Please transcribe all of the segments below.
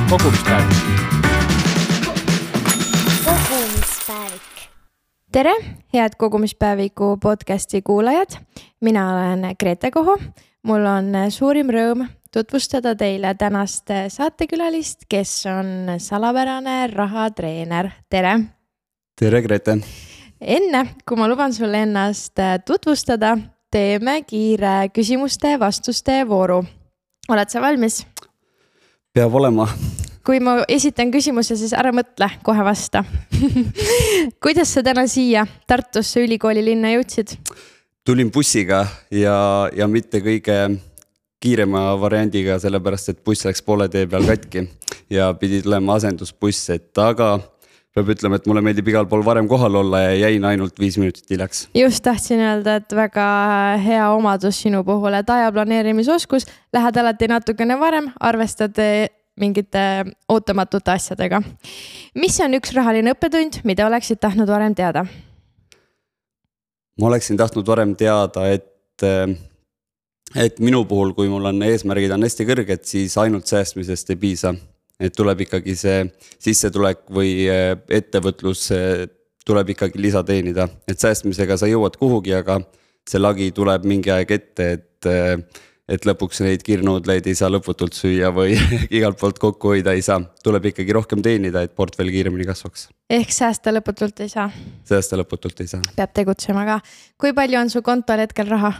Kogumispäev. Kogumispäevik. Tere, head Kogumispäeviku podcasti kuulajad. Mina olen Grete Koho. Mul on suurim rõõm tutvustada teile tänast saatekülalist, kes on salapärane rahatreener. Tere! Tere, Grete! Enne, kui ma luban sulle ennast tutvustada, teeme kiire küsimuste ja vastuste vooru. Oled sa valmis? Peab olema. Kui ma esitan küsimuse, siis ära mõtle, kohe vasta. Kuidas sa täna siia Tartusse ülikooli linna jõudsid? Tulin bussiga ja mitte kõige kiirema variandiga, sellepärast et buss läks poole tee peal katki ja pidi tulema asendusbuss, aga peab ütlema, et mulle meeldib igal pool varem kohal olla ja jäin ainult 5 minutit hiljaks. Just tahtsin öelda, et väga hea omadus sinu puhul, et aja planeerimisoskus, lähed alati natukene varem, arvestad mingite ootamatute asjadega. Mis on üks rahaline õppetund, mida oleksid tahtnud varem teada? Ma oleksin tahtnud varem teada, et minu puhul, kui mul on eesmärgid on hästi kõrged, siis ainult säästmisest ei piisa. Et tuleb ikkagi see sissetulek või ettevõtlus tuleb ikkagi lisa teenida. Et säästmisega sa jõuad kuhugi, aga see lagi tuleb mingi aeg ette, et lõpuks neid kirnuudleid ei saa lõputult süüa või igalt poolt kokku hoida ei saa. Tuleb ikkagi rohkem teenida, et portfell kiiremini kasvaks. Ehk säästa lõputult ei saa? Säästa lõputult ei saa. Peab tegutsema ka. Kui palju on su kontol hetkel raha?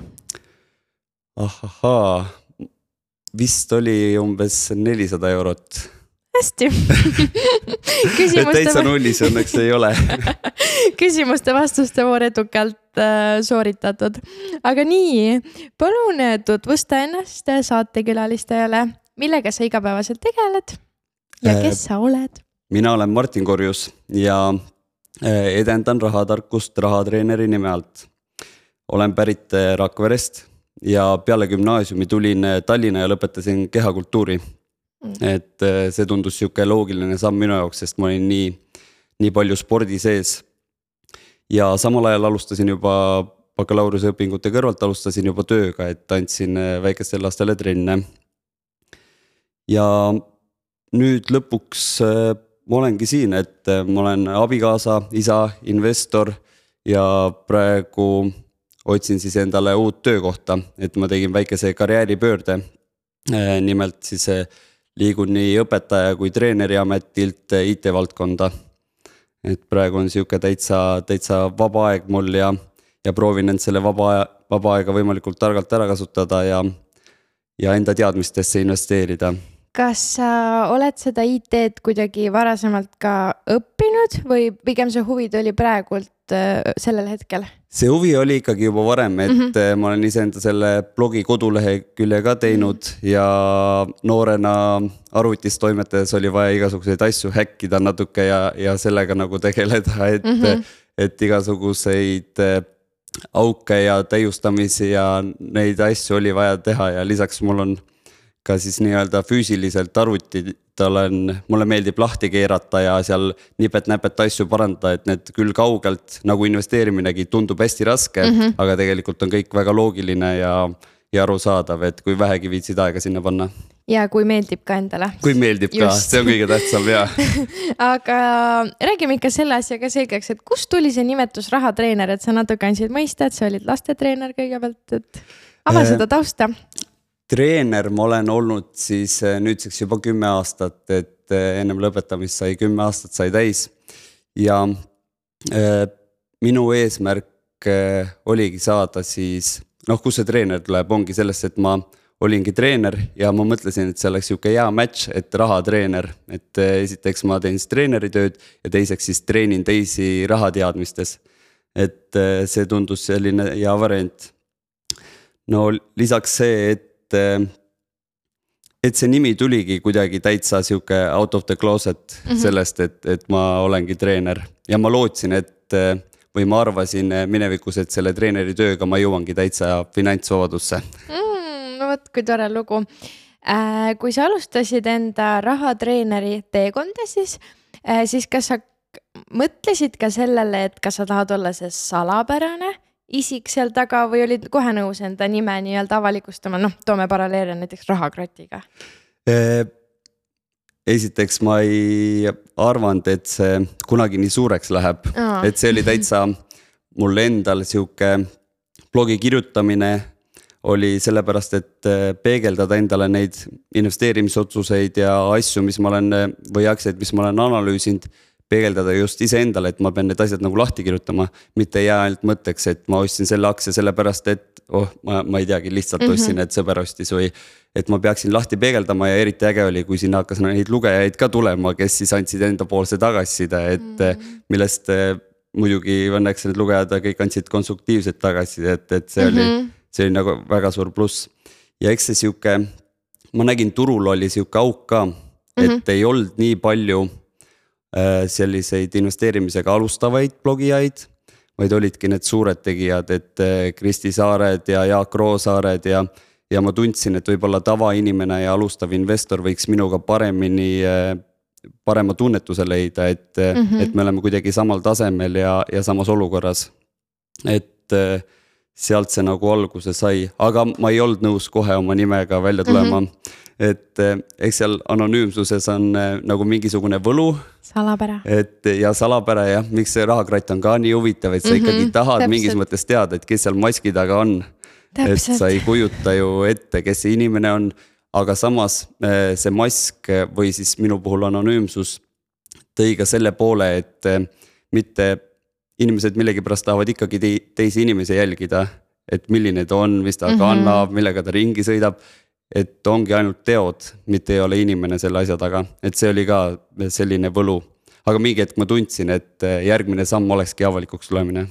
Ahahaa, vist oli umbes 400 eurot. Hästi. Täitsa nullis õnneks ei ole. Küsimuste vastuste voor edukalt sooritatud. Aga nii, palun tutvusta ennast saatekülalistajale. Millega sa igapäevaselt tegeled ja kes sa oled? Mina olen Martin Korjus ja edendan rahatarkust rahatreeneri nime alt. Olen pärit Rakverest ja peale gümnaasiumi tulin Tallinna ja lõpetasin kehakultuuri. Et see tundus siuke loogiline samm minu jaoks, sest ma olin nii palju spordi sees. Ja samal ajal alustasin juba bakalaureuse õpingute kõrvalt, alustasin juba tööga, et andsin väikestele lastele trenne. Ja nüüd lõpuks ma olengi siin, et ma olen abikaasa, isa, investor ja praegu otsin siis endale uut töökohta, et ma tegin väikese karjääripöörde. Nimelt siis liigun nii õpetaja kui treeneri ametilt IT-valdkonda. Et praegu on siuke täitsa vaba aeg mul ja proovin end selle vaba aega võimalikult targalt ära kasutada ja enda teadmistesse investeerida. Kas sa oled seda IT-d kuidagi varasemalt ka õppinud või pigem see huvid oli praegult sellel hetkel? See huvi oli ikkagi juba varem, et ma olen iseenda selle blogi kodulehe külje ka teinud ja noorena arvutis toimetades oli vaja igasuguseid asju häkkida natuke ja sellega nagu tegeleda, et igasuguseid auke ja täiustamisi ja neid asju oli vaja teha ja lisaks mul on ka siis nii-öelda füüsiliselt arvutit mulle meeldib lahti keerata ja seal nipet-näpet asju parandada, et need küll kaugelt nagu investeeriminegi tundub hästi raske, aga tegelikult on kõik väga loogiline ja arusaadav, et kui vähegi viitsid aega sinna panna. Ja kui meeldib ka endale. Kui meeldib ka, see on kõige tähtsam, jah. Aga räägime ikka selle asjaga selgeks, et kust tuli see nimetus rahatreener, et sa natuke andsid mõista, et sa olid lastetreener kõigepealt, et ava seda tausta. Treener ma olen olnud siis nüüdseks juba 10 aastat, et ennem lõpetamist sai 10 aastat sai täis ja minu eesmärk oligi saada siis, kus see treener tuleb, ongi sellest, et ma olingi treener ja ma mõtlesin, et see oleks siuke hea match, et rahatreener, et esiteks ma teen siis treeneri tööd ja teiseks siis treenin teisi rahateadmistes, et see tundus selline hea variant. No lisaks see, et see nimi tuligi kuidagi täitsa siuke out of the closet sellest, et ma olengi treener ja ma lootsin, või ma arvasin minevikus, et selle treeneri tööga ma jõuangi täitsa finantsvabadusse. No võt, kui tore lugu. Kui sa alustasid enda rahatreeneri teekonda, siis kas sa mõtlesid ka sellele, et kas sa tahad olla see salapärane isik seal taga või olid kohe nõus enda nime nii-öelda avalikustama, toome paralleele näiteks rahakratiga? esiteks ma ei arvanud, et see kunagi nii suureks läheb, et see oli täitsa mul endal sihuke blogi kirjutamine oli sellepärast, et peegeldada endale neid investeerimisotsuseid ja asju, mis ma olen või aktsiaid, mis ma olen analüüsinud, peegeldada just iseendale, et ma pean need asjad nagu lahti kirjutama, mitte jää ainult mõtteks, et ma ostsin selle aktsia sellepärast, et ma ei teagi, lihtsalt ostsin, et sõber ostis või et ma peaksin lahti peegeldama ja eriti äge oli, kui sinna hakkas neid lugejaid ka tulema, kes siis andsid enda poolse tagasiside, et millest muidugi õnneks need lugejad kõik andsid konstruktiivset tagasisidet, et see oli nagu väga suur pluss. Ja eks see siuke, ma nägin turul oli siuke auk ka, et ei olnud nii palju selliseid investeerimisega alustavaid blogijaid, vaid olidki need suured tegijad, et Kristi Saared ja Jaak Roosaared ja ma tundsin, et võib-olla tavainimene ja alustav investor võiks minuga parema tunnetuse leida, et me oleme kuidagi samal tasemel ja samas olukorras. Et sealt see nagu alguse sai, aga ma ei olnud nõus kohe oma nimega välja tulema. Et eks seal anonüümsuses on nagu mingisugune võlu. Salapära. Ja salapära jah, miks see rahakratt on ka nii huvitav, et sa ikkagi tahad mingis mõttes teada, et kes seal maski taga on. Et sa ei kujuta ju ette, kes see inimene on, aga samas see mask või siis minu puhul anonüümsus tõi ka selle poole, et mitte inimesed millegipärast tahavad ikkagi teisi inimesi jälgida, et milline ta on, mis ta kannab, millega ta ringi sõidab, et ongi ainult teod, mitte ei ole inimene selle asja taga, et see oli ka selline võlu. Aga mingi hetk ma tundsin, et järgmine samm olekski avalikuks tulemine.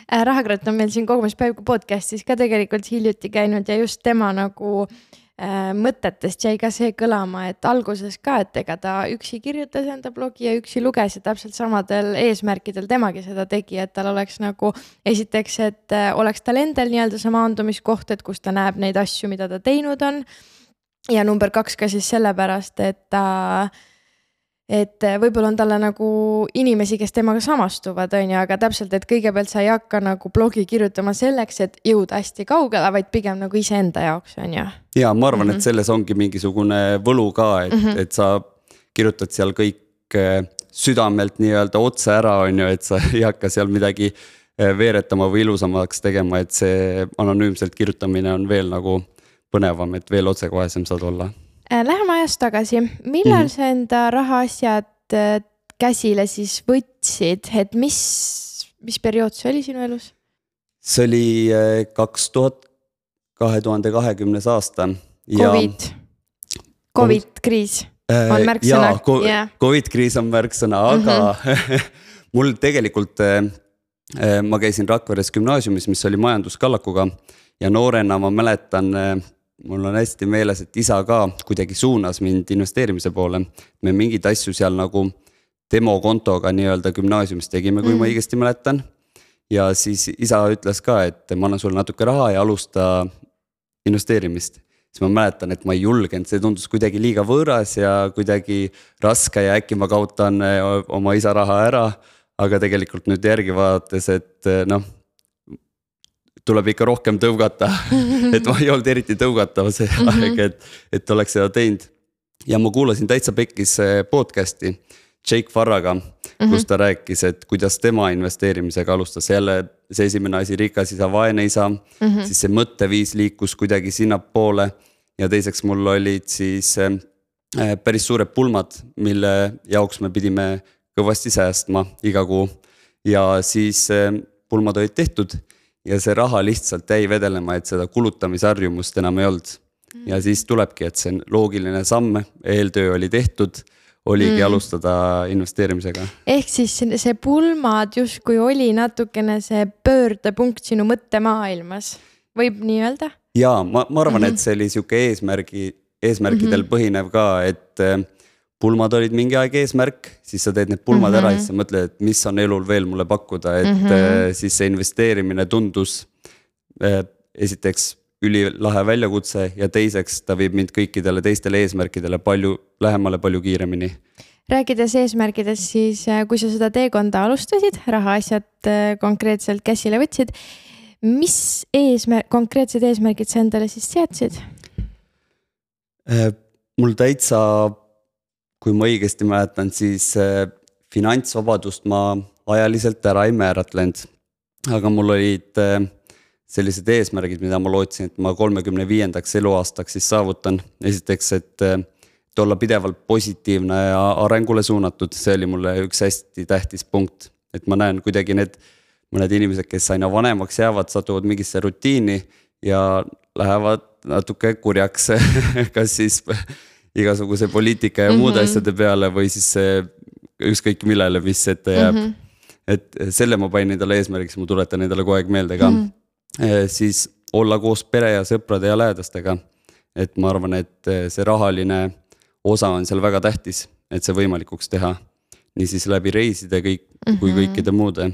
Rahakratt on meil siin kogumispäev podcastis ka tegelikult hiljuti käinud ja just tema nagu mõtetest jäi ka see kõlama, et alguses ka, et ega ta üksi kirjutas enda blogi ja üksi luges ja täpselt samadel eesmärkidel temagi seda tegi, et tal oleks nagu esiteks, et oleks tal endal nii-öelda see maandumiskoht, et kus ta näeb neid asju, mida ta teinud on ja number 2 ka siis sellepärast, et võib-olla on talle nagu inimesi, kes temaga samastuvad, aga täpselt, et kõigepealt sa ei hakka nagu blogi kirjutama selleks, et jõuda hästi kaugele, vaid pigem nagu ise enda jaoks, on ju. Ja ma arvan, et selles ongi mingisugune võlu ka, et sa kirjutad seal kõik südamelt nii-öelda otse ära, on ju, et sa ei hakka seal midagi veeretama või ilusamaks tegema, et see anonüümselt kirjutamine on veel nagu põnevam, et veel otsekohesem saad olla. Läheme ajast tagasi. Millal sa enda rahaasjad käsile siis võtsid, et mis periood see oli sinu elus? See oli 2020 aasta. Covid-kriis on märksõna. Covid-kriis on märksõna, aga mul tegelikult, ma käisin Rakveres gümnaasiumis, mis oli majanduskallakuga ja noorena ma mäletan, mul on hästi meeles, et isa ka kuidagi suunas mind investeerimise poole. Me mingid asju seal nagu demokontoga nii-öelda gümnaasiumis tegime, kui ma õigesti mäletan. Ja siis isa ütles ka, et ma annan sulle natuke raha ja alusta investeerimist. Siis ma mäletan, et ma ei julgenud, see tundus kuidagi liiga võõras ja kuidagi raske ja äkki ma kaotan oma isa raha ära, aga tegelikult nüüd järgi vaadates, et tuleb ikka rohkem tõugata, et ma ei olnud eriti tõugatav see aeg, et oleks seda teinud. Ja ma kuulasin täitsa pekkis podcasti Jake Farraga, kus ta rääkis, et kuidas tema investeerimisega alustas. Jälle see esimene asi, rikas isa, vaene isa, siis see mõtteviis liikus kuidagi sinna poole ja teiseks mul olid siis päris suured pulmad, mille jaoks me pidime kõvasti säästma iga kuu ja siis pulmad olid tehtud. Ja see raha lihtsalt jäi vedelema, et seda kulutamisharjumust enam ei olnud. Ja siis tulebki, et see loogiline samm, eeltöö oli tehtud, oligi alustada investeerimisega. Ehk siis see pulmad justkui oli natukene see pöördepunkt sinu mõttemaailmas, võib nii öelda? Jaa, ma arvan, et see oli siuke eesmärkidel põhinev ka, et pulmad olid mingi aeg eesmärk, siis sa teed need pulmad ära ja siis sa mõtled, et mis on elul veel mulle pakkuda, et siis see investeerimine tundus esiteks ülilahe väljakutse ja teiseks ta viib mind kõikidele teistele eesmärkidele palju lähemale, palju kiiremini. Rääkides eesmärkidest, siis kui sa seda teekonda alustasid, rahaasjad konkreetselt käsile võtsid, mis konkreetsed eesmärgid sa endale siis seadsid? Mul täitsa kui ma õigesti mäletan, siis finantsvabadust ma ajaliselt ära ei määratlenud. Aga mul olid sellised eesmärgid, mida ma lootsin, et ma 35. eluaastaks siis saavutan. Esiteks, et olla pidevalt positiivne ja arengule suunatud, see oli mulle üks hästi tähtis punkt. Et ma näen kuidagi need mõned inimesed, kes aina vanemaks jäävad, satuvad mingisse rutiini ja lähevad natuke kurjaks, kas siis igasuguse poliitika ja muude asjade peale või siis ükskõik millele, mis ette jääb. Et selle ma panin endale eesmärgiks, ma tuletan endale kogu aeg meelde ka. Siis olla koos pere ja sõprade ja lähedastega. Et ma arvan, et see rahaline osa on seal väga tähtis, et see võimalikuks teha. Nii siis läbi reiside kui kõikide muude.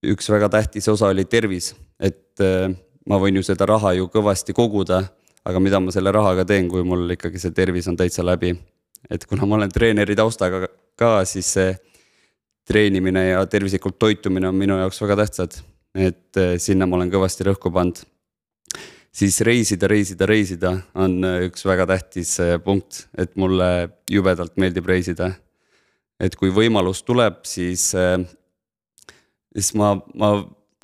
Üks väga tähtis osa oli tervis, et ma võin ju seda raha ju kõvasti koguda, aga mida ma selle rahaga teen, kui mul ikkagi see tervis on täitsa läbi. Et kuna ma olen treeneri taustaga ka, siis see treenimine ja tervislikult toitumine on minu jaoks väga tähtsad. Et sinna ma olen kõvasti rõhku pand. Siis reisida on üks väga tähtis punkt, et mulle jubedalt meeldib reisida. Et kui võimalus tuleb, siis ma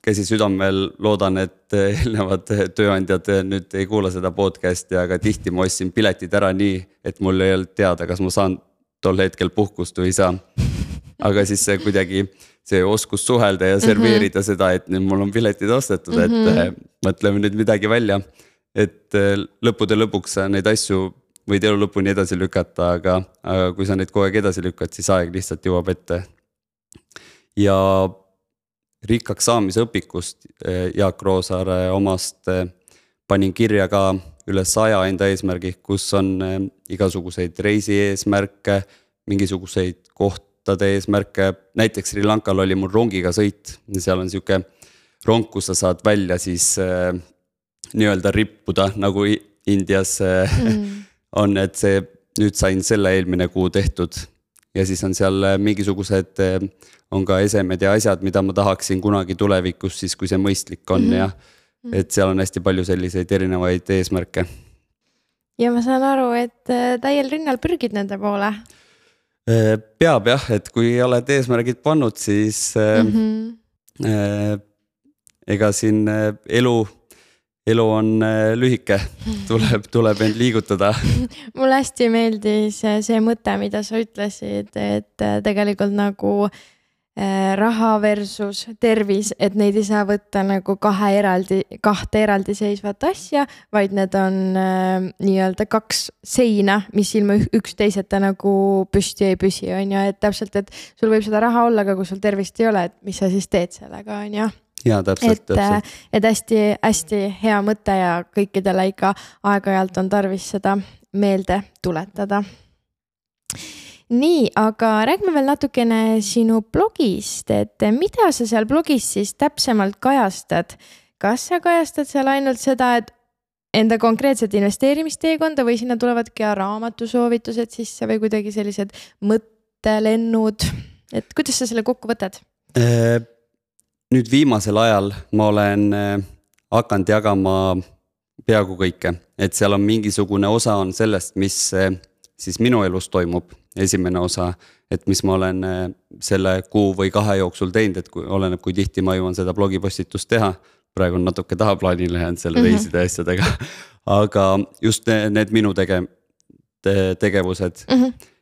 käsi südamel loodan, et eelnevad tööandjad nüüd ei kuula seda podcasti, aga tihti ma ostsin piletid ära nii, et mul ei olnud teada, kas ma saan tol hetkel puhkust või ei saa. Aga siis kuidagi see oskus suhelda ja serveerida seda, et nüüd mul on piletid ostetud, et mõtleme nüüd midagi välja. Et lõppude lõpuks neid asju võid elu lõpuni edasi lükata, aga kui sa neid kogu aeg edasi lükkad, siis aeg lihtsalt jõuab ette. Ja rikkaks saamise õpikust Jaak Roosaare omast panin kirja ka üle 100 enda eesmärgi, kus on igasuguseid reisi eesmärke, mingisuguseid kohtade eesmärke. Näiteks Sri Lankal oli mul rongiga sõit, seal on siuke rong, kus sa saad välja siis nii-öelda rippuda, nagu Indias on, et see nüüd sain selle eelmine kuu tehtud. Ja siis on seal mingisugused, on ka esemed ja asjad, mida ma tahaksin kunagi tulevikus, siis kui see mõistlik on ja et seal on hästi palju selliseid erinevaid eesmärke. Ja ma saan aru, et täiel rinnal pürgid nende poole. Peab jah, et kui oled eesmärgid pannud, siis ega siin elu on lühike, tuleb end liigutada. Mulle hästi meeldis see mõte, mida sa ütlesid, et tegelikult nagu raha versus tervis, et neid ei saa võtta nagu kahte eraldi seisvat asja, vaid need on nii-öelda 2 seina, mis ilma üksteiseta nagu püsti ei püsi, on ja et täpselt, et sul võib seda raha olla, aga kui sul tervist ei ole, et mis sa siis teed sellega, on ja? Ja, täpselt. Et hästi hea mõte ja kõikidele ikka aeg-ajalt on tarvis seda meelde tuletada. Nii, aga räägime veel natukene sinu blogist, et mida sa seal blogis siis täpsemalt kajastad? Kas sa kajastad seal ainult seda, et enda konkreetset investeerimisteekonda või sinna tulevad ka raamatusoovitused sisse või kuidagi sellised mõttelennud, et kuidas sa selle kokku võtad? Nüüd viimasel ajal ma olen hakanud jagama peaaegu kõike, et seal on mingisugune osa on sellest, mis siis minu elus toimub, esimene osa, et mis ma olen selle kuu või 2 jooksul teinud, et oleneb, kui tihti ma jõuan seda blogipostitust teha, praegu on natuke tahaplaanile jäänud selle reiside asjadega, aga just need minu tegevused.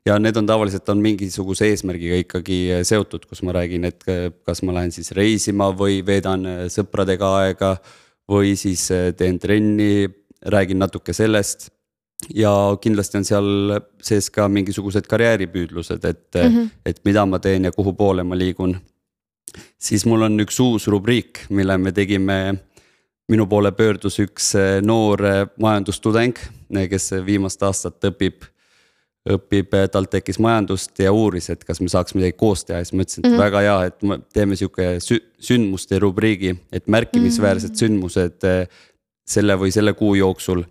Ja need on tavaliselt mingisuguse eesmärgiga ikkagi seotud, kus ma räägin, et kas ma lähen siis reisima või veedan sõpradega aega või siis teen trenni, räägin natuke sellest. Ja kindlasti on seal sees ka mingisugused karjääripüüdlused, et mida ma teen ja kuhu poole ma liigun. Siis mul on üks uus rubriik, mille me tegime, minu poole pöördus üks noor majandustudeng, kes viimast aastat õpib, tal tekkis majandust ja uuris, et kas me saaks midagi koos teha. Ja siis ma ütlesin, et väga hea, et teeme siuke sündmuste rubriigi, et märkimisväärsed sündmused selle või selle kuu jooksul.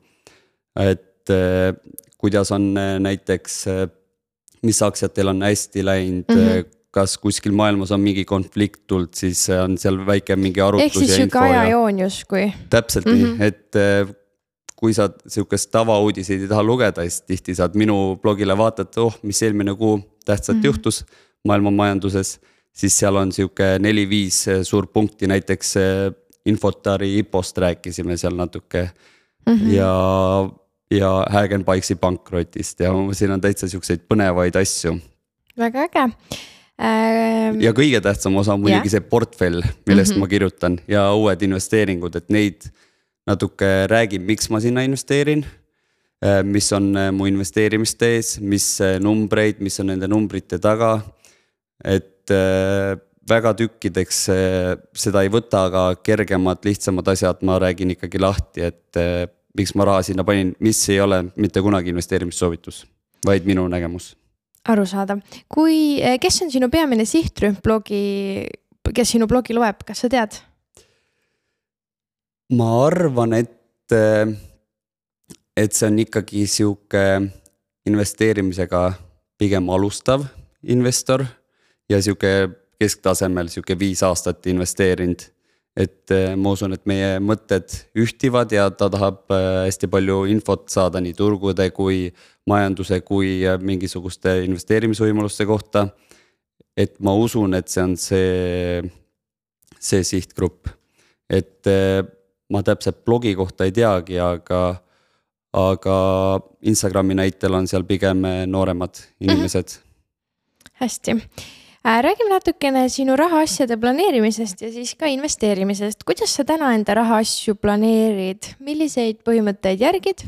Et kuidas on näiteks, mis aktsiatel on hästi läinud, kas kuskil maailmas on mingi konflikt tuld, siis on seal väike mingi arutlus ja info. Ehk siis siuke ajajoon justkui. Täpselt nii, et kui sa sihukest tavauudiseid ei taha lugeda, siis tihti saad minu blogile vaadata, mis eelmine kuu tähtsalt juhtus maailma majanduses, siis seal on sihuke 4-5 suur punkti, näiteks Infotari IPOst rääkisime seal natuke ja Hägenpaiksi pankrotist ja siin on täitsa siukseid põnevaid asju. Väga äge. Ja kõige tähtsam osa on muidugi see portfell, millest ma kirjutan ja uued investeeringud, et neid natuke räägin, miks ma sinna investeerin, mis on mu investeerimiste ees, mis numbreid, mis on nende numbrite taga, et väga tükkideks seda ei võta, aga kergemad, lihtsamad asjad ma räägin ikkagi lahti, et miks ma raha sinna panin, mis ei ole mitte kunagi investeerimissoovitus, vaid minu nägemus. Arusaadav. Kes on sinu peamine sihtrühm kes sinu blogi loeb, kas sa tead? Ma arvan, et see on ikkagi sihuke investeerimisega pigem alustav investor ja sihuke kesktasemel sihuke 5 aastat investeerinud. Et ma usun, et meie mõtted ühtivad ja ta tahab hästi palju infot saada nii turgude kui majanduse kui mingisuguste investeerimisvõimaluste kohta. Et ma usun, et see on see sihtgrupp. Et ma täpselt blogi kohta ei teagi, aga Instagrami näitel on seal pigem nooremad inimesed. Hästi. Räägime natukene sinu rahaasjade planeerimisest ja siis ka investeerimisest. Kuidas sa täna enda rahaasju planeerid? Milliseid põhimõtteid järgid?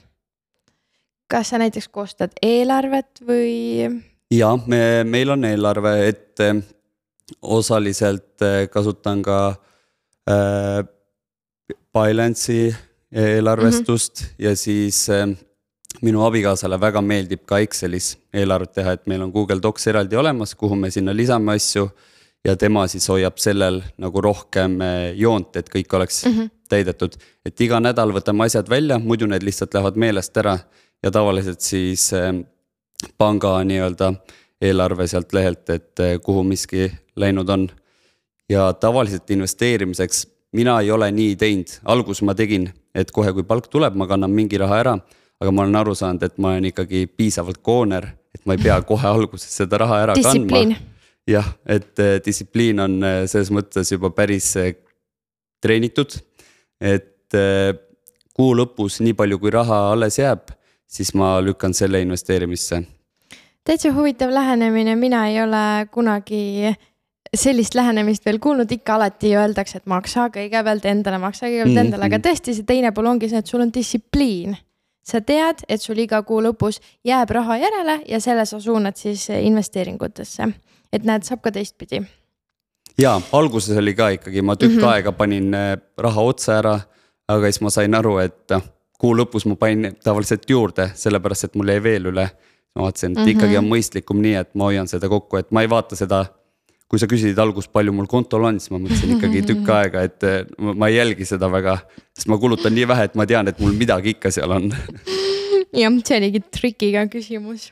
Kas sa näiteks koostad eelarvet või? Ja, meil on eelarve, et osaliselt kasutan ka Balance'i eelarvestust ja siis minu abikaasale väga meeldib ka Excelis eelarvet teha, et meil on Google Docs eraldi olemas, kuhu me sinna lisame asju ja tema siis hoiab sellel nagu rohkem joont, et kõik oleks täidetud. Et iga nädal võtame asjad välja, muidu need lihtsalt lähevad meelest ära ja tavaliselt siis panga nii-öelda eelarve sealt lehelt, et kuhu miski läinud on. Ja tavaliselt investeerimiseks mina ei ole nii teinud. Algus ma tegin, et kohe kui palk tuleb, ma kannan mingi raha ära, aga ma olen aru saanud, et ma olen ikkagi piisavalt kooner, et ma ei pea kohe alguses seda raha ära kandma. Jah, et distsipliin on selles mõttes juba päris treenitud, et kuu lõpus nii palju kui raha alles jääb, siis ma lükkan selle investeerimisse. Täitsa huvitav lähenemine, mina ei ole kunagi sellist lähenemist veel kuulnud, ikka alati öeldakse, et maksa kõigepealt endale, aga tõesti see teine pool ongi see, et sul on distsipliin. Sa tead, et sul iga kuu lõpus jääb raha järele ja selle sa suunad siis investeeringutesse. Et näed, saab ka teistpidi. Jaa, alguses oli ka ikkagi, ma tükk aega panin raha otsa ära, aga siis ma sain aru, et kuu lõpus ma panin tavaliselt juurde, sellepärast, et mul jäi veel üle. Ma vaatasin, et ikkagi on mõistlikum nii, et ma hoian seda kokku, et ma ei vaata seda, kui sa küsisid algus, palju mul kontol on, siis ma mõtlesin ikkagi tükk aega, et ma ei jälgi seda väga, sest ma kulutan nii vähe, et ma tean, et mul midagi ikka seal on. Jah, see oligi trikiga küsimus.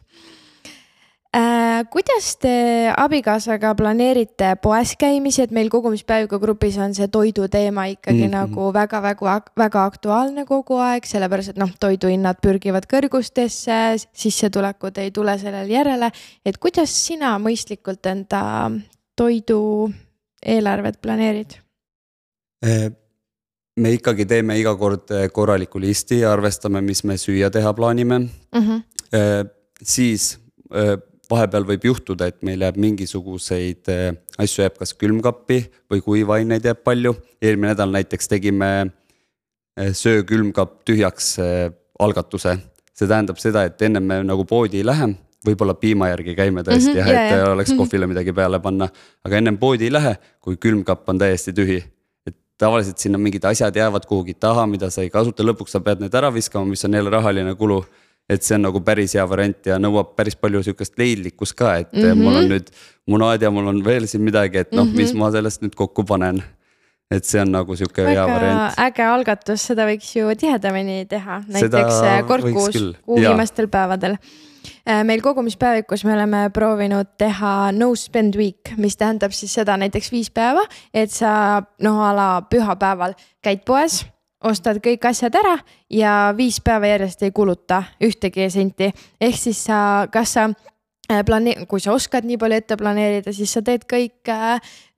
Kuidas te abikaasaga planeerite poes käimisi, et meil kogumispäeviga grupis on see toidu teema ikkagi nagu väga aktuaalne kogu aeg, sellepärast, et toiduhinnad pürgivad kõrgustesse, sissetulekud ei tule sellel järele, et kuidas sina mõistlikult enda toidu eelarvet planeerid? Me ikkagi teeme iga kord korraliku listi ja arvestame, mis me süüa teha plaanime. Siis vahepeal võib juhtuda, et meil jääb mingisuguseid asju jääb kas külmkappi või kuivaineid jääb palju. Eelmine nädal näiteks tegime söö külmkapp tühjaks algatuse. See tähendab seda, et enne me nagu poodi ei lähe, võib-olla piima järgi käime tõesti, et oleks kohvile midagi peale panna. Aga enne poodi ei lähe, kui külmkapp on täiesti tühi. Et tavaliselt sinna mingid asjad jäävad kuhugi taha, mida sa ei kasuta, lõpuks sa pead need ära viskama, mis on jälle rahaline kulu. Et see on nagu päris hea variant ja nõuab päris palju sükast leidlikkus ka, et mul on nüüd munaad ja mul on veel siin midagi, et mis ma sellest nüüd kokku panen. Et see on nagu süke hea variant. Äge algatus, seda võiks ju tihedamini teha, näiteks korkuus kuu viimastel päevadel. Meil kogumispäevikus me oleme proovinud teha no spend week, mis tähendab siis seda näiteks 5 päeva, et sa ala pühapäeval käid poes, ostad kõik asjad ära ja 5 päeva järjest ei kuluta ühtegi senti. Ehk siis kas sa kui sa oskad nii palju ette planeerida, siis sa teed kõik,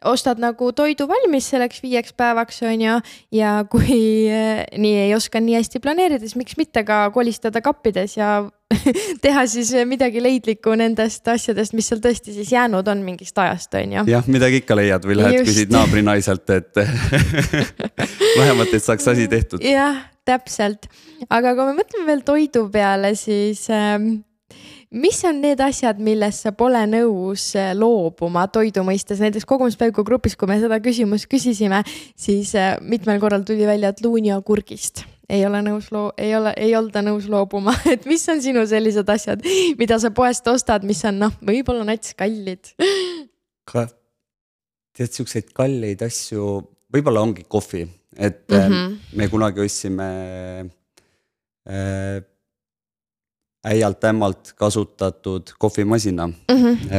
ostad nagu toidu valmis selleks 5 päevaks on ju, ja kui nii ei oska nii hästi planeerida, siis miks mitte ka kolistada kappides ja teha siis midagi leidlikku nendest asjadest, mis seal tõesti siis jäänud on mingist ajast on ju. Jah, midagi ikka leiad või lähed küsid naabrinaiselt, et vähemalt, et saaks asi tehtud. Jah, täpselt. Aga kui me mõtleme veel toidu peale, siis mis on need asjad, millest sa pole nõus loobuma toidu mõistes? Näiteks kogumispäeviku grupis, kui me seda küsimust küsisime, siis mitmel korral tuli välja, et luuni ja kurgist ei olda nõus loobuma. Et mis on sinu sellised asjad, mida sa poest ostad, mis on võib-olla nats kallid? Tead, siukseid kalleid asju, võib-olla ongi kohvi. Et me kunagi ostsime äialt-ämmalt kasutatud kohvimasina,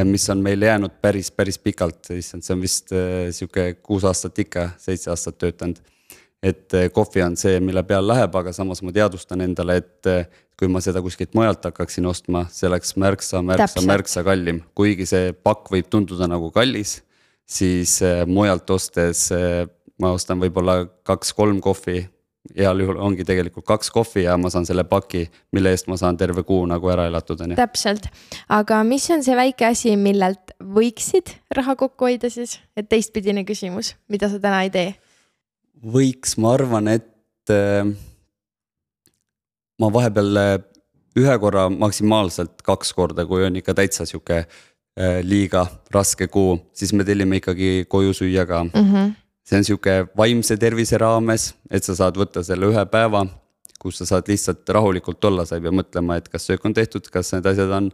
mis on meil jäänud päris pikalt. See on vist siuke 6 aastat ikka, 7 aastat töötanud. Et kohvi on see, mille peal läheb, aga samas ma teadvustan endale, et kui ma seda kuskilt mujalt hakkaksin ostma, see oleks märksa kallim. Kuigi see pakk võib tunduda nagu kallis, siis mujalt ostes ma ostan võib-olla 2-3 kohvi. Heal juhul ongi tegelikult 2 kohvi ja ma saan selle paki, mille eest ma saan terve kuu nagu ära elatud. Täpselt. Aga mis on see väike asi, millelt võiksid raha kokku hoida siis? Et teistpidine küsimus, mida sa täna ei tee? Võiks, ma arvan, et ma vahepeal 1 korra maksimaalselt 2 korda, kui on ikka täitsa siuke liiga raske kuu, siis me tellime ikkagi koju süüa ka. See on siuke vaimse tervise raames, et sa saad võtta selle 1 päeva, kus sa saad lihtsalt rahulikult olla, sa ei pea mõtlema, et kas söök on tehtud, kas need asjad on,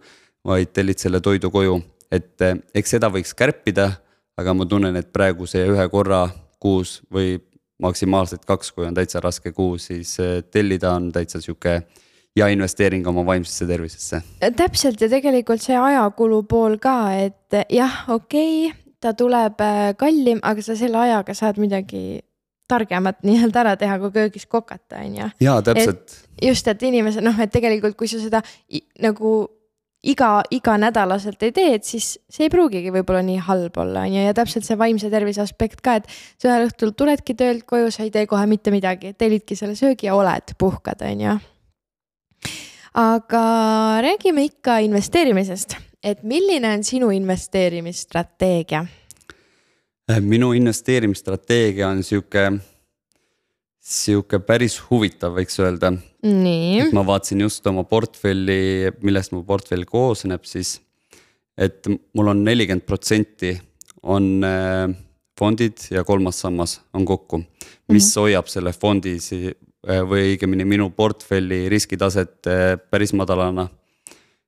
vaid tellid selle toidu koju. Et eks seda võiks kärpida, aga ma tunnen, et praegu see 1 korra kuus või maksimaalselt 2, kui on täitsa raske kuu, siis tellida on täitsa siuke ja investeering oma vaimsesse tervisesse. Täpselt ja tegelikult see ajakulu pool ka, et jah, okei, ta tuleb kallim, aga sa selle ajaga saad midagi targemat nii-öelda ära teha, kui köögis kokata, on ju. Jaa, täpselt. Just, et inimesed, et tegelikult kui sa seda nagu iga nädalaselt ei tee, et siis see ei pruugigi võib-olla nii halb olla, on ju. Ja täpselt see vaimse tervise aspekt ka, et sa ühel õhtul tuledki töölt koju, sa ei tee kohe mitte midagi, tellidki selle söögi ja oled puhkad, on ju. Aga räägime ikka investeerimisest. Et milline on sinu investeerimisstrateegia? Minu investeerimisstrateegia on siuke päris huvitav, võiks öelda. Nii. Et ma vaatsin just oma portfelli, millest mu portfell koosneb siis, et mul on 40% on fondid ja 3. sammas on kokku, mis hoiab selle fondi või õigemini minu portfelli riskitaset päris madalana.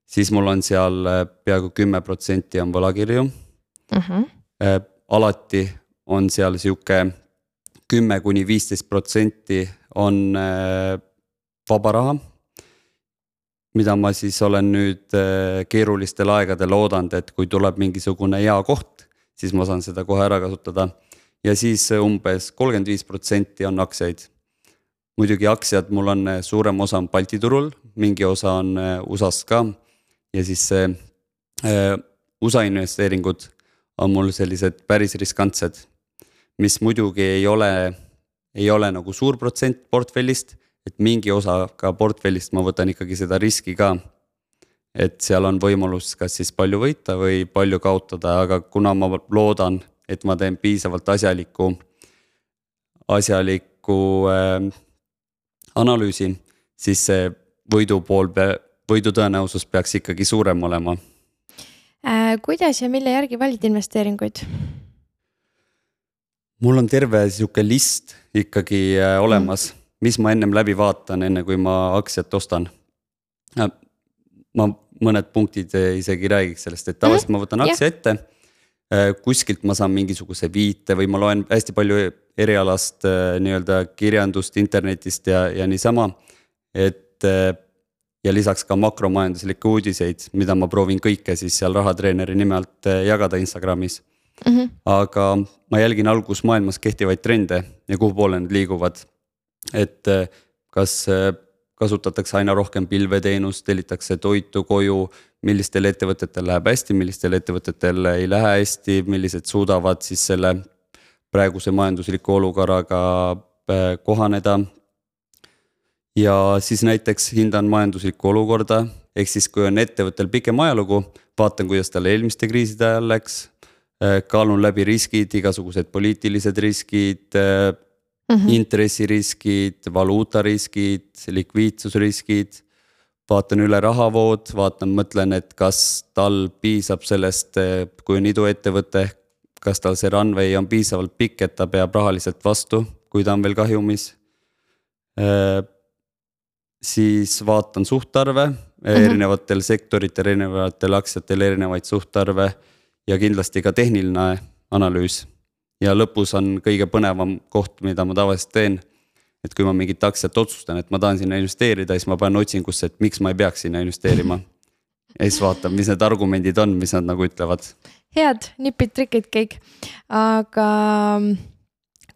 Siis mul on seal peaaegu 10% on võlakirju. Alati on seal siuke 10-15% on vaba raha, mida ma siis olen nüüd keerulistel aegadel loodanud, et kui tuleb mingisugune hea koht, siis ma saan seda kohe ära kasutada. Ja siis umbes 35% on aktsiaid. Muidugi aktsiad mul on suurem osa on Balti turul, mingi osa on USAst ka. Ja siis USA investeeringud on mul sellised päris riskantsed, mis muidugi ei ole nagu suur protsent portfellist, et mingi osa ka portfellist ma võtan ikkagi seda riski ka, et seal on võimalus kas siis palju võita või palju kaotada, aga kuna ma loodan, et ma teen piisavalt asjalikku analüüsi, siis see võidu tõenäosus peaks ikkagi suurem olema. Kuidas ja mille järgi valid investeeringuid? Mul on terve siuke list ikkagi olemas, mis ma ennem läbi vaatan, enne kui ma aktsiat ostan. Ma mõned punktid isegi räägiks sellest, et tavaliselt ma võtan aktsia ette, kuskilt ma saan mingisuguse viite või ma loen hästi palju erialast nii-öelda kirjandust internetist ja niisama, et ja lisaks ka makromajanduslikke uudiseid, mida ma proovin kõike siis seal rahatreeneri nime alt jagada Instagramis. Aga ma jälgin algusmaailmas kehtivaid trende ja kuhu poole need liiguvad. et kas kasutatakse aina rohkem pilveteenust, tellitakse toitu koju, millistel ettevõtetel läheb hästi, millistel ettevõtetel ei lähe hästi, millised suudavad siis selle praeguse majandusliku olukorraga kohaneda. Ja siis näiteks hindan majanduslikku olukorda, ehk siis kui on ettevõttel pikem ajalugu, vaatan, kuidas tal eelmiste kriiside ajal läks, kaalun läbi riskid, igasugused poliitilised riskid, intressiriskid, valuutariskid, likviidsusriskid, vaatan üle rahavood, mõtlen, et kas tal piisab sellest, kui on iduettevõte, kas tal see runway on piisavalt pikk, et ta peab rahaliselt vastu, kui ta on veel kahjumis. Siis vaatan suhtarve, erinevatel sektoritel, erinevatel aktsiatel erinevaid suhtarve ja kindlasti ka tehniline analüüs. Ja lõpus on kõige põnevam koht, mida ma tavaliselt teen, et kui ma mingit aktsiat otsustan, et ma tahan sinna investeerida, siis ma panen otsingusse, et miks ma ei peaks sinna investeerima. Ja siis vaatan, mis need argumendid on, mis nad nagu ütlevad. Head, nipid, trikid kõik. Aga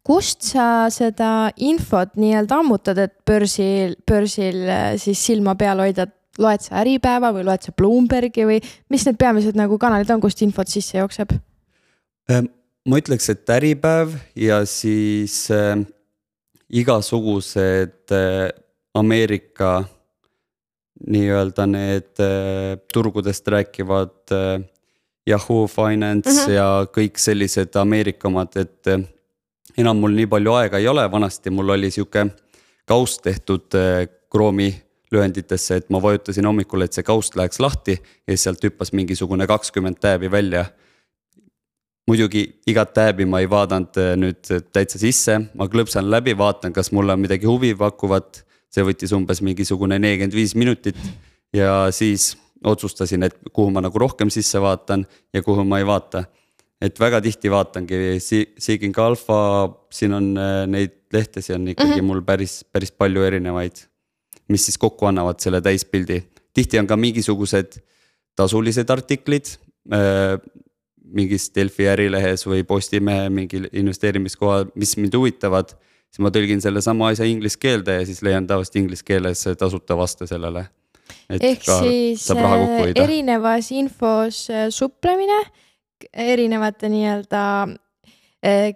kust sa seda infot nii-öelda ammutad, et börsil siis silma peal hoidad? Loed sa Äripäeva või loed sa Bloombergi või mis need peamised nagu kanalid on, kust infot sisse jookseb? Ma ütleks, et Äripäev ja siis igasugused Ameerika nii-öelda need turgudest rääkivad Yahoo Finance ja kõik sellised Ameerika omad, et enam mul nii palju aega ei ole, vanasti mul oli siuke kaust tehtud Chrome'i lühenditesse, et ma vajutasin hommikul, et see kaust läheks lahti ja sealt hüppas mingisugune 20 tääbi välja. Muidugi igat tääbi ma ei vaadanud nüüd täitsa sisse, ma klõpsan läbi, vaatan, kas mulle on midagi huvi pakkuvat, see võttis umbes mingisugune 45 minutit ja siis otsustasin, et kuhu ma nagu rohkem sisse vaatan ja kuhu ma ei vaata. Et väga tihti vaatangi Seeking Alpha, siin on neid lehtesi on ikkagi mul päris palju erinevaid, mis siis kokku annavad selle täispildi. Tihti on ka mingisugused tasulised artiklid, mingis Delfi ärilehes või Postimehe mingi investeerimiskoha, mis mind huvitavad, siis ma tõlgin selle sama asja inglise keelde ja siis leian tavaliselt inglise keeles tasuta vaste sellele. Ehk siis erinevas infos suplemine, erinevate nii-öelda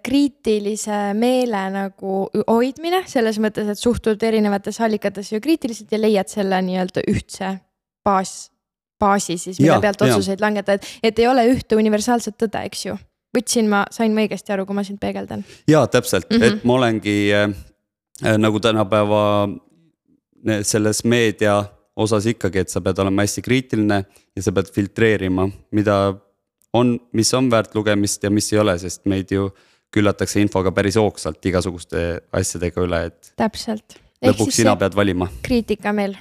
kriitilise meele nagu hoidmine, selles mõttes, et suhtud erinevates allikates ju kriitiliselt ja leiad selle nii-öelda ühtse baasi siis, mille pealt otsuseid langetad, et ei ole ühte universaalset tõde, eks ju. Sain ma õigesti aru, kui ma sind peegeldan? Jaa, täpselt, et ma olengi nagu tänapäeva selles meedia osas ikkagi, et sa pead olema hästi kriitiline ja sa pead filtreerima, mis on väärt lugemist ja mis ei ole, sest meid ju küllatakse infoga päris hoogsalt igasuguste asjadega üle, et täpselt. Lõpuks sina pead valima. Kriitika meil.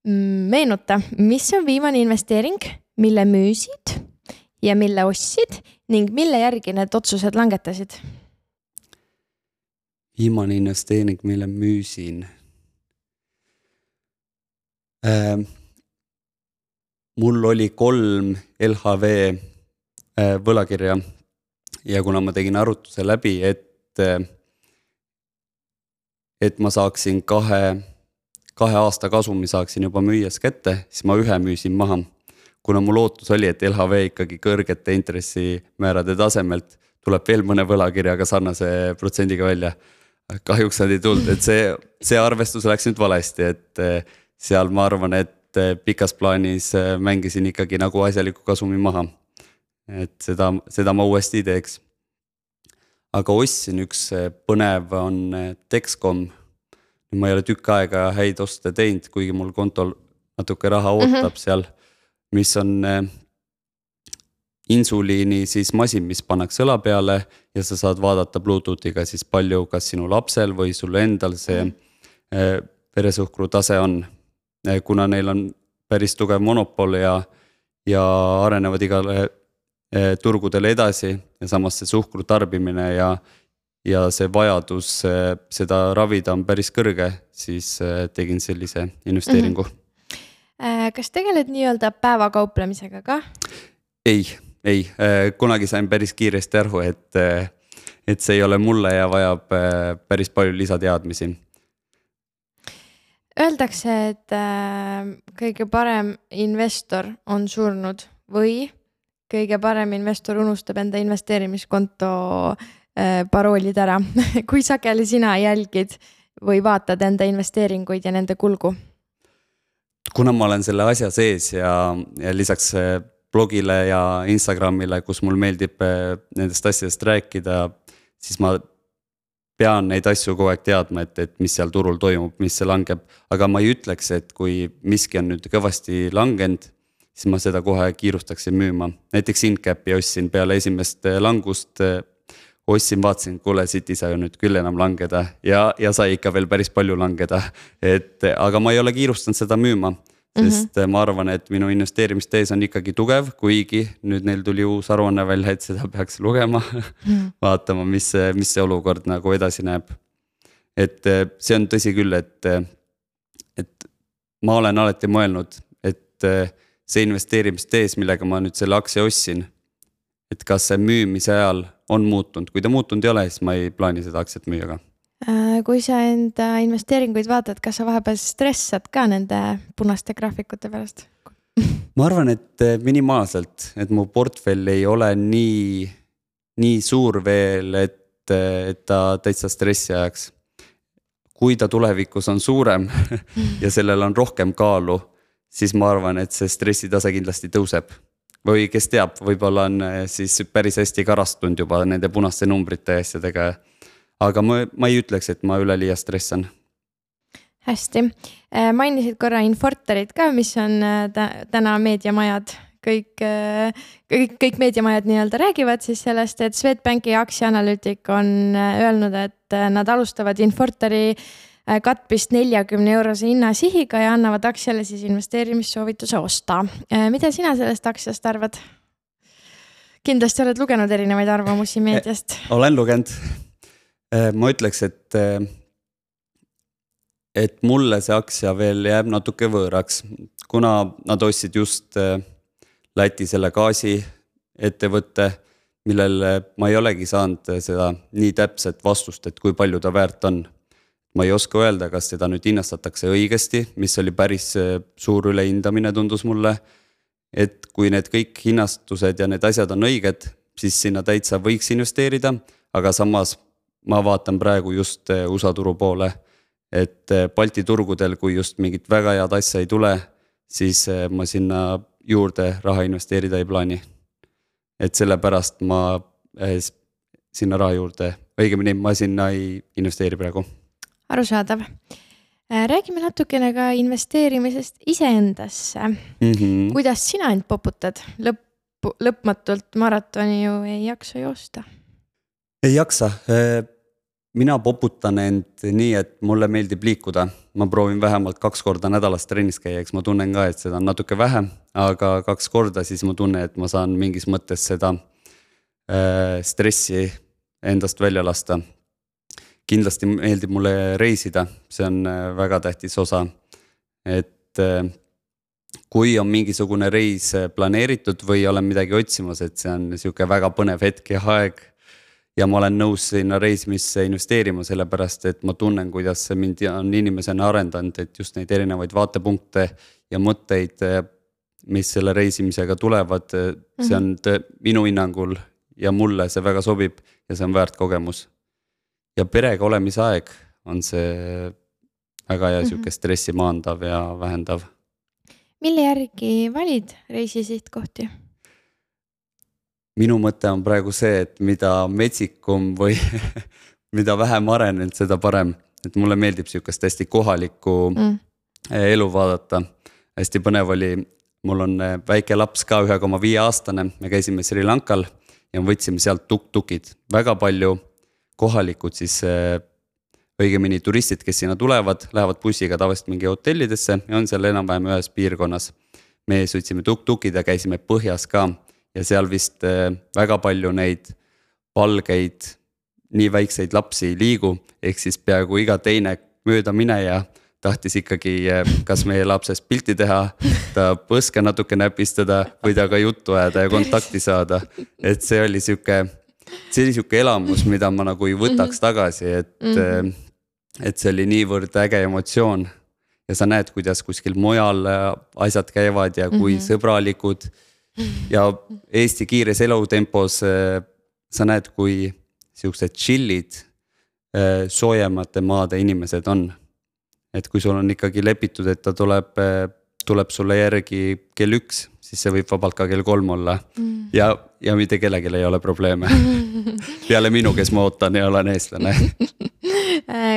Meenuta, mis on viimane investeering, mille müüsid ja mille ostsid ning mille järgi need otsused langetasid? Viimane investeering, mille müüsin. Mul oli 3 LHV võlakirja ja kuna ma tegin arvutuse läbi, et ma saaksin 2 aasta kasumi saaksin juba müües kätte, siis ma 1 müüsin maha. Kuna mul ootus oli, et LHV ikkagi kõrgete intressimäärade tasemelt tuleb veel mõne võlakirjaga sarnase protsendiga välja. Kahjuks nad ei tulnud, et see arvestus läks nüüd valesti, et seal ma arvan, et pikas plaanis mängisin ikkagi nagu asjaliku kasumi maha. Et seda ma uuesti teeks. Aga ostsin üks põnev on Dexcom. Ma ei ole tükk aega häid oste teinud, kuigi mul kontol natuke raha ootab seal, mis on insuliini siis masin, mis pannakse õla peale ja sa saad vaadata Bluetoothiga siis palju, kas sinu lapsel või sul endal see veresuhkru tase on. Kuna neil on päris tugev monopol ja arenevad igale turgudele edasi ja samas see suhkru tarbimine ja see vajadus seda ravida on päris kõrge, siis tegin sellise investeeringu. Kas tegeled nii-öelda päevakauplemisega ka? Ei. Kunagi sain päris kiiresti aru, et see ei ole mulle ja vajab päris palju lisateadmisi. Öeldakse, et kõige parem investor on surnud või kõige parem investor unustab enda investeerimiskonto paroolid ära. Kui sageli sina jälgid või vaatad enda investeeringuid ja nende kulgu? Kuna ma olen selle asja sees ja lisaks blogile ja Instagramile, kus mul meeldib nendest asjadest rääkida, siis ma pean neid asju kogu aeg teadma, et mis seal turul toimub, mis see langeb. Aga ma ei ütleks, et kui miski on nüüd kõvasti langenud, siis ma seda kohe kiirustaksin müüma. Näiteks Incapi ostsin peale esimest langust, vaatasin, kuule, siit ei saa ju nüüd küll enam langeda ja sai ikka veel päris palju langeda. Aga ma ei ole kiirustanud seda müüma, sest ma arvan, et minu investeerimistees on ikkagi tugev, kuigi nüüd neil tuli uus aruanne välja, et seda peaks lugema, vaatama, mis see olukord nagu edasi näeb. Et see on tõsi küll, et ma olen alati mõelnud, et see investeerimistees, millega ma nüüd selle aktsia ostsin, et kas see müümise ajal on muutunud. Kui ta muutunud ei ole, siis ma ei plaani seda aktsiat müüa. Kui sa enda investeeringuid vaatad, kas sa vahepeal stressad ka nende punaste graafikute pärast? Ma arvan, et minimaalselt, et mu portfell ei ole nii suur veel, et ta täitsa stressi ajaks. Kui ta tulevikus on suurem ja sellel on rohkem kaalu, siis ma arvan, et see stressitase kindlasti tõuseb. Või kes teab, võib-olla on siis päris hästi karastunud juba nende punaste numbrite asjadega. Aga ma ei ütleks, et ma üleliia stressan. Hästi. Mainisid korra Inforterit ka, mis on täna meediamajad. Kõik meediamajad nii-öelda räägivad siis sellest, et Swedbanki aktsiaanalüütik on öelnud, et nad alustavad Inforteri katpist 40 eurose hinnasihiga ja annavad aktsiale siis investeerimissoovituse osta. Mida sina sellest aktsiast arvad? Kindlasti oled lugenud erinevaid arvamusi meediast. Olen lugenud. Ma ütleks, et mulle see aktsia veel jääb natuke võõraks, kuna nad ostsid just Läti selle gaasi ettevõtte, millele ma ei olegi saanud seda nii täpset vastust, et kui palju ta väärt on. Ma ei oska öelda, kas seda nüüd hinnastatakse õigesti, mis oli päris suur ülehindamine tundus mulle, et kui need kõik hinnastused ja need asjad on õiged, siis sinna täitsa võiks investeerida, aga samas ma vaatan praegu just USA turu poole, et Balti turgudel, kui just mingit väga head asja ei tule, siis ma sinna juurde raha investeerida ei plaani. Et sellepärast ma sinna raha juurde, õigemini ma sinna ei investeeri praegu. Arusaadav. Räägime natukene ka investeerimisest iseendasse. Kuidas sina end poputad? Lõpmatult maratoni ju ei jaksa joosta. Ei jaksa. Mina poputan end nii, et mulle meeldib liikuda. Ma proovin vähemalt 2 korda nädalas trennis käia, eks ma tunnen ka, et seda on natuke vähe, aga 2 korda siis ma tunnen, et ma saan mingis mõttes seda stressi endast välja lasta. Kindlasti meeldib mulle reisida, see on väga tähtis osa, et kui on mingisugune reis planeeritud või olen midagi otsimas, et see on niisugune väga põnev hetk ja aeg ja ma olen nõus sinna reisimisse investeerima, sellepärast et ma tunnen, kuidas see mind on inimesena arendanud, et just neid erinevaid vaatepunkte ja mõtteid, mis selle reisimisega tulevad, see on minu hinnangul ja mulle see väga sobib ja see on väärt kogemus. Ja perega olemise aeg on see väga hea siuke stressi maandav ja vähendav. Mille järgi valid reisisihtkohti? Minu mõte on praegu see, et mida metsikum või mida vähem arenenud, seda parem. Et mulle meeldib siukest hästi kohalikku elu vaadata. Hästi põnev oli, mul on väike laps ka 1,5 aastane, me käisime Sri Lankal ja võtsime sealt tuk-tukid. Väga palju kohalikud siis õigemini turistid, kes sinna tulevad, lähevad bussiga tavaliselt mingi hotellidesse ja on seal enam-vähem ühes piirkonnas. Me sõitsime tuk-tukid ja käisime põhjas ka ja seal vist väga palju neid valgeid, nii väikseid lapsi ei liigu, ehk siis peaaegu iga teine mööda mineja tahtis ikkagi kas meie lapsest pilti teha, ta põske natuke näpistada või ta ka juttu ajada ja kontakti saada. Et see oli siuke see oli siuke elamus, mida ma nagu ei võtaks tagasi, et see oli niivõrd äge emotsioon ja sa näed, kuidas kuskil mujal asjad käivad ja kui sõbralikud ja Eesti kiires elutempos sa näed, kui siuksed chillid soojemate maade inimesed on. Et kui sul on ikkagi lepitud, et ta tuleb sulle järgi kell 1, siis see võib vabalt ka kell 3 olla ja mitte kellelgi ei ole probleeme. Peale minu, kes ma ootan ja olen eestlane.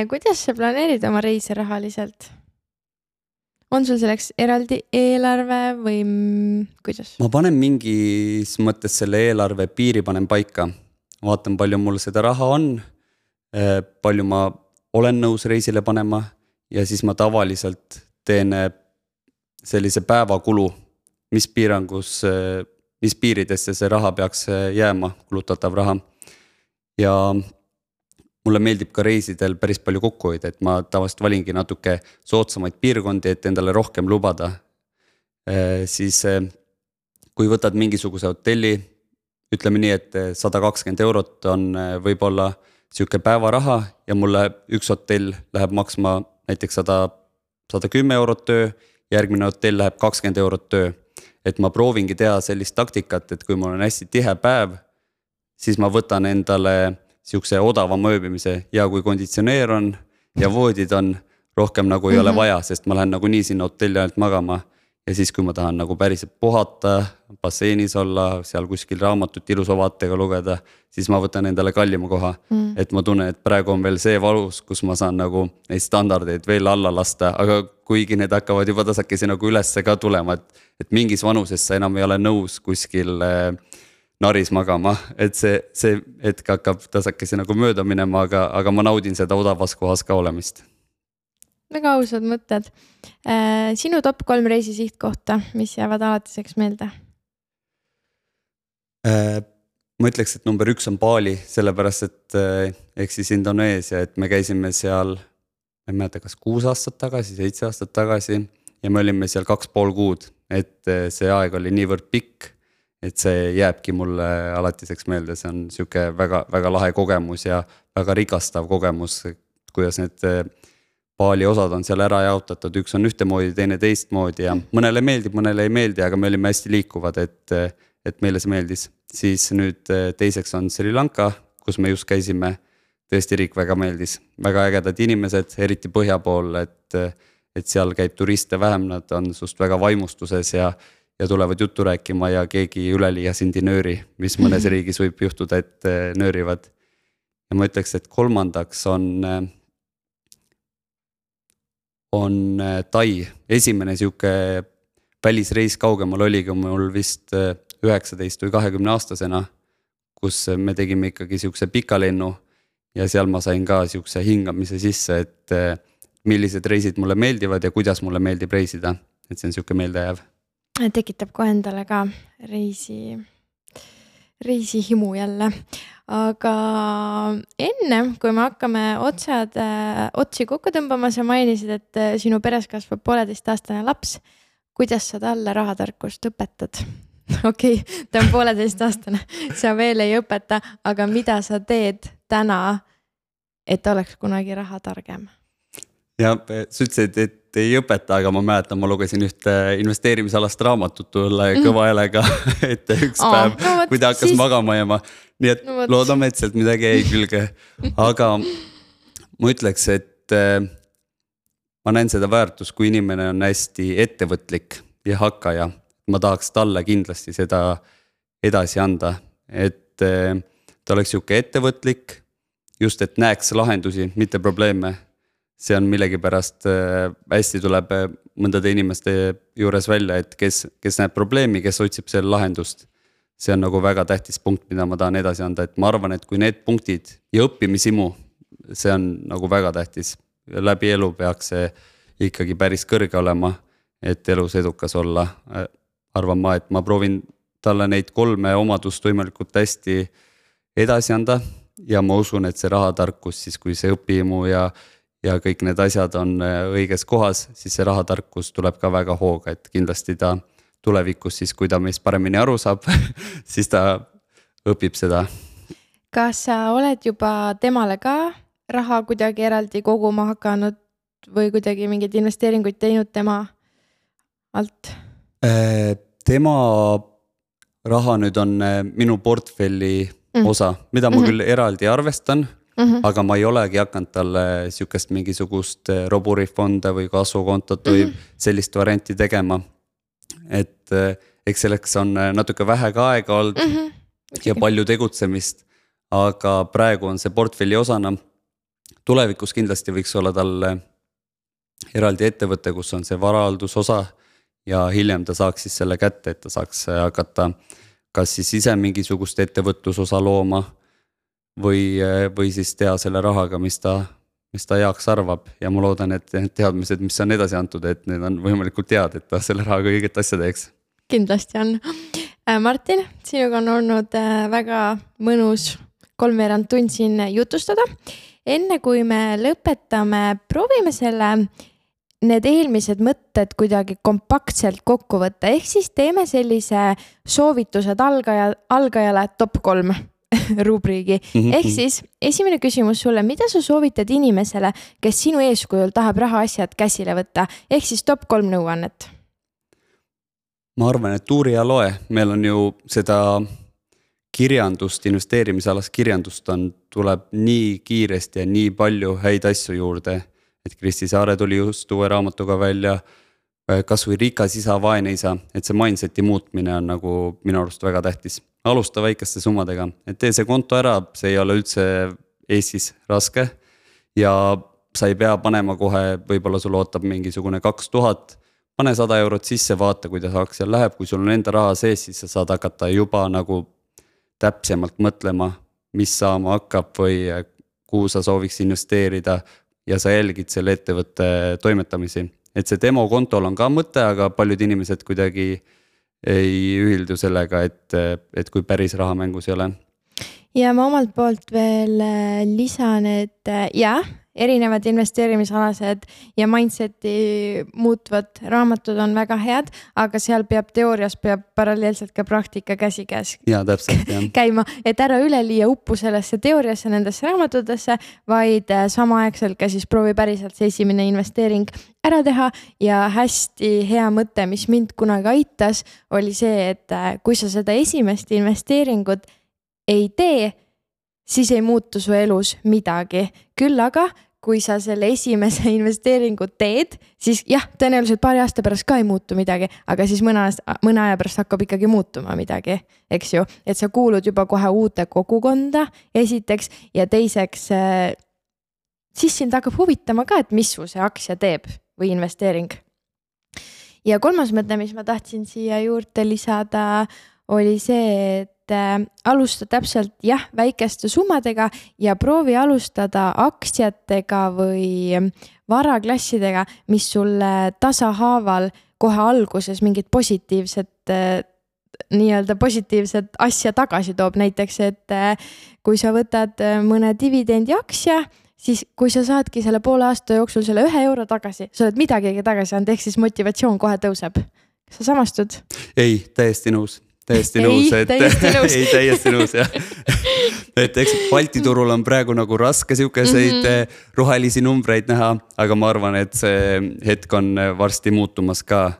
Kuidas sa planeerid oma reisi rahaliselt? On sul selleks eraldi eelarve või kuidas? Ma panen mingis mõttes selle eelarve piiri panen paika. Vaatan, palju mul seda raha on, palju ma olen nõus reisile panema ja siis ma tavaliselt teen sellise päevakulu, mis piiridesse see raha peaks jääma, kulutatav raha. Ja mulle meeldib ka reisidel päris palju kokku hoida, et ma tavaliselt valingi natuke soodsamaid piirkondi, et endale rohkem lubada. Siis kui võtad mingisuguse hotelli, ütleme nii, et 120 eurot on võib-olla siuke päevaraha ja mulle üks hotell läheb maksma näiteks 110 eurot töö, järgmine hotell läheb 20 eurot töö. Et ma proovingi teha sellist taktikat, et kui mul on hästi tihe päev, siis ma võtan endale siukse odava mööbimise ja kui konditsioneer on ja voodid on, rohkem nagu ei ole vaja, sest ma lähen nagu nii sinna hotelli ainult magama. Ja siis, kui ma tahan nagu päriselt puhata, basseinis olla, seal kuskil raamatut ilusa vaatega lugeda, siis ma võtan endale kallima koha. Et ma tunnen, et praegu on veel see valus, kus ma saan nagu neid standardeid veel alla lasta, aga kuigi need hakkavad juba tasakesi nagu ülesse ka tulema, et mingis vanuses sa enam ei ole nõus kuskil naris magama, et see hetk hakkab tasakesi nagu mööda minema, aga ma naudin seda odavas kohas ka olemist. Väga ausad mõtted. Sinu top 3 reisisiht kohta, mis jäävad alatiseks meelde? Ma ütleks, et number 1 on Bali, sellepärast, et ehk siis Indoneesia, et me käisime seal, ma ei mäleta, kas 6 aastat tagasi, 7 aastat tagasi ja me olime seal 2,5 kuud, et see aeg oli niivõrd pikk, et see jääbki mulle alatiseks meelde, see on siuke väga, väga lahe kogemus ja väga rikastav kogemus, kuidas need Bali osad on seal ära jaotatud, üks on ühtemoodi, teine teistmoodi ja mõnele meeldib, mõnele ei meeldi, aga me olime hästi liikuvad, et meile see meeldis. Siis nüüd teiseks on Sri Lanka, kus me just käisime, tõesti riik väga meeldis, väga ägedad inimesed, eriti põhja pool, et seal käib turiste vähem, nad on sust väga vaimustuses ja tulevad juttu rääkima ja keegi üleliia sind ei nööri, mis mõnes riigis võib juhtuda, et nöörivad. Ja ma ütleks, et kolmandaks on Tai. Esimene siuke välisreis kaugemal oligi mul vist 19 või 20 aastasena, kus me tegime ikkagi siukse pikalennu ja seal ma sain ka siukse hingamise sisse, et millised reisid mulle meeldivad ja kuidas mulle meeldib reisida, et see on siuke meeldejääv. Tekitab kohe endale ka reisihimu jälle. Aga enne, kui me hakkame otsi kokku tõmbama, sa mainisid, et sinu peres kasvab 1,5-aastane laps. Kuidas sa talle rahatarkust õpetad? Okei, ta on 1,5-aastane, sa veel ei õpeta, aga mida sa teed täna, et oleks kunagi rahatargem? Ja sa ütlesid, et ei õpeta, aga ma mäletan, ma lugesin ühte investeerimisalast raamatut tulla kõva häälega, et üks päev, kui ta hakkas magama jääma. Nii et loodame, et sealt midagi ei külge. Aga ma ütleks, et ma näen seda väärtus, kui inimene on hästi ettevõtlik ja hakkaja. Ma tahaks talle kindlasti seda edasi anda, et ta oleks siuke ettevõtlik, just et näeks lahendusi, mitte probleeme. See on millegi pärast hästi tuleb mõndade inimeste juures välja, et kes näeb probleemi, kes otsib selle lahendust. See on nagu väga tähtis punkt, mida ma tahan edasi anda, et ma arvan, et kui need punktid ja õppimisimu, see on nagu väga tähtis. Läbi elu peaks see ikkagi päris kõrge olema, et elus edukas olla. Arvan ma, et ma proovin talle neid 3 omadust võimalikult hästi edasi anda ja ma usun, et see rahatarkus, siis kui see õpimu ja kõik need asjad on õiges kohas, siis see rahatarkus tuleb ka väga hooga, et kindlasti ta tulevikus siis, kui ta meist paremini aru saab, siis ta õpib seda. kas sa oled juba temale ka raha kuidagi eraldi koguma hakanud või kuidagi mingeid investeeringuid teinud tema alt? Tema raha nüüd on minu portfelli osa, mida ma küll eraldi arvestan, aga ma ei olegi hakanud talle sihukest mingisugust roburifonde või kasvukontot või sellist varianti tegema. Et eks selleks on natuke vähe ka aega olnud ja palju tegutsemist, aga praegu on see portfelli osana. Tulevikus kindlasti võiks olla talle eraldi ettevõte, kus on see varaaldusosa ja hiljem ta saaks siis selle kätte, et ta saaks hakata kas siis ise mingisugust ettevõtlusosa looma või siis teha selle rahaga, mis ta heaks arvab ja ma loodan, et teadmised, mis on edasi antud, et need on võimalikult head, et ta selle rahaga õiget asja teeks. Kindlasti on. Martin, sinuga on olnud väga mõnus 3 tund siin jutustada. Enne kui me lõpetame, proovime need eelmised mõtted kuidagi kompaktselt kokku võtta, ehk siis teeme sellise soovitused algajale top 3 rubriigi. Ehk siis esimene küsimus sulle, mida sa soovitad inimesele, kes sinu eeskujul tahab rahaasjad käsile võtta, ehk siis top 3 nõuannet? Ma arvan, et uuri ja loe, meil on ju seda kirjandust, investeerimisalast kirjandust tuleb nii kiiresti ja nii palju häid asju juurde. Et Kristi Saare tuli just uue raamatuga välja, kas või rikas isa, vaene isa, et see mindseti muutmine on nagu minu arust väga tähtis. Alusta väikeste summadega, et tee see konto ära, see ei ole üldse Eestis raske ja sa ei pea panema kohe, võib-olla sul ootab mingisugune 2000, pane 100 eurot sisse, vaata, kuidas aktsial läheb, kui sul on enda raha sees, siis sa saad hakata juba nagu täpsemalt mõtlema, mis saama hakkab või kuhu sa sooviks investeerida ja sa jälgid selle ettevõtte toimetamisi. Et see demo kontol on ka mõte, aga paljud inimesed kuidagi ei ühildu sellega, et kui päris raha mängus ei ole. Ja ma omalt poolt veel lisan, et erinevad investeerimisalased ja mindseti muutvad raamatud on väga head, aga seal teoorias peab paralleelselt ka praktika käsikäes käima, et ära üleliia uppu sellesse teooriasse nendesse raamatudesse, vaid samaaegselt ka siis proovi päriselt see esimene investeering ära teha ja hästi hea mõte, mis mind kunagi aitas, oli see, et kui sa seda esimest investeeringut ei tee, siis ei muutu su elus midagi. Küll aga kui sa selle esimese investeeringu teed, siis tõenäoliselt paari aasta pärast ka ei muutu midagi, aga siis mõne aja pärast hakkab ikkagi muutuma midagi, eks ju, et sa kuulud juba kohe uute kogukonda esiteks ja teiseks siis sind hakkab huvitama ka, et mis su see aktsia teeb või investeering. Ja 3. mõte, mis ma tahtsin siia juurde lisada, oli see, et alusta täpselt väikeste summadega ja proovi alustada aktsiatega või varaklassidega, mis sulle tasahaaval kohe alguses mingit positiivset asja tagasi toob. Näiteks, et kui sa võtad mõne dividendi aktsia, siis kui sa saadki selle poole aasta jooksul selle 1 euro tagasi, sa oled midagi tagasi saanud, ehk siis motivatsioon kohe tõuseb. Kas sa samastud? Ei, täiesti nõus. Täiesti nõus, täiesti nõus, jah. Et eks Balti turul on praegu nagu raske siukeseid rohelisi numbreid näha, aga ma arvan, et see hetk on varsti muutumas ka.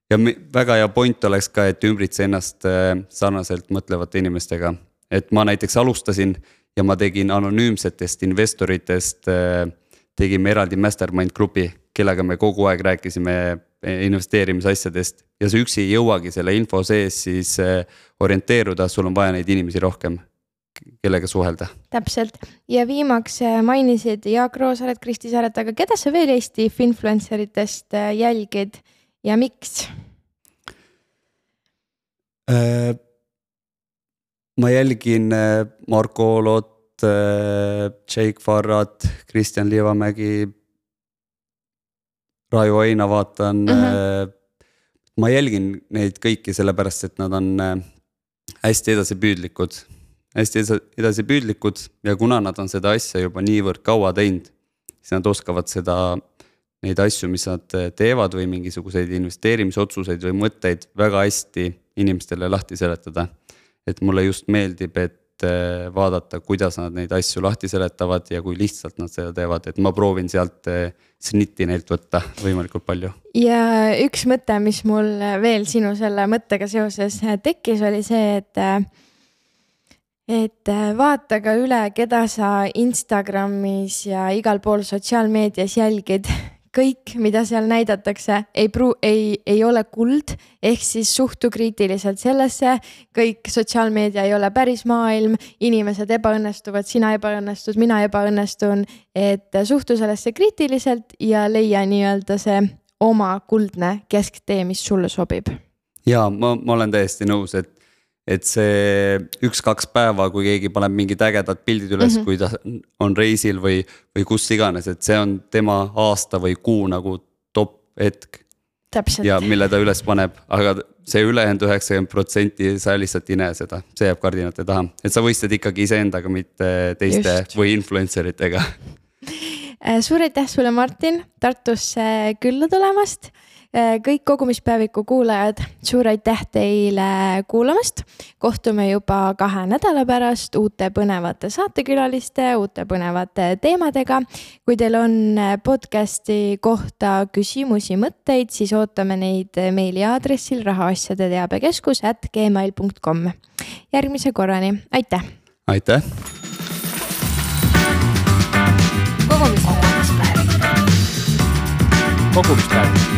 Ja väga hea point oleks ka, et ümbritse ennast sarnaselt mõtlevate inimestega. Et ma näiteks alustasin ja ma tegin anonüümsetest investoritest, tegime eraldi mastermind klubi, kellega me kogu aeg rääkisime investeerimisasjadest ja see üksi ei jõuagi selle info sees siis orienteeruda, sul on vaja neid inimesi rohkem, kellega suhelda. Täpselt. Ja viimaks mainisid Jaak Roosaret, Kristi Saaret, aga keda sa veel Eesti influenceritest jälgid ja miks? Ma jälgin Marko Olot, Jake Farrat, Kristjan Liivamägi, Raju Aina vaatan, ma jälgin neid kõiki sellepärast, et nad on hästi edasipüüdlikud ja kuna nad on seda asja juba niivõrd kaua teinud, siis nad oskavad neid asju, mis nad teevad või mingisuguseid investeerimisotsuseid või mõtteid väga hästi inimestele lahti seletada. Et mulle just meeldib, et et vaadata, kuidas nad neid asju lahti seletavad ja kui lihtsalt nad seda teevad, et ma proovin sealt snitti neilt võtta võimalikult palju. Ja üks mõte, mis mul veel sinu selle mõttega seoses tekkis, oli see, et vaata ka üle, keda sa Instagramis ja igal pool sotsiaalmeedias jälgid. Kõik, mida seal näidatakse, ei ole kuld, ehk siis suhtu kriitiliselt sellesse, kõik sotsiaalmeedia ei ole päris maailm, inimesed ebaõnnestuvad, sina ebaõnnestud, mina ebaõnnestun, et suhtu sellesse kriitiliselt ja leia nii-öelda see oma kuldne kesktee, mis sulle sobib. Ja ma olen täiesti nõus, et see 1-2 päeva, kui keegi paneb mingid ägedad pildid üles, kui ta on reisil või kus iganes, et see on tema aasta või kuu nagu top hetk. Täpselt. Ja mille ta üles paneb, aga see ülejäänud 90% sa lihtsalt ei näe seda, see jääb kardinate taha. Et sa võistled ikkagi iseendaga, mitte teiste või influenceritega. Suur aitäh sulle, Martin, Tartusse külla tulemast. Kõik kogumispäeviku kuulajad, suur aitäh teile kuulamast. Kohtume juba 2 nädala pärast uute põnevate saatekülaliste, uute põnevate teemadega. Kui teil on podcasti kohta küsimusi, mõtteid, siis ootame neid meili aadressil rahaasjadeteabekeskus@gmail.com. Järgmise korrani. Aitäh! Aitäh! Kogumispäevik.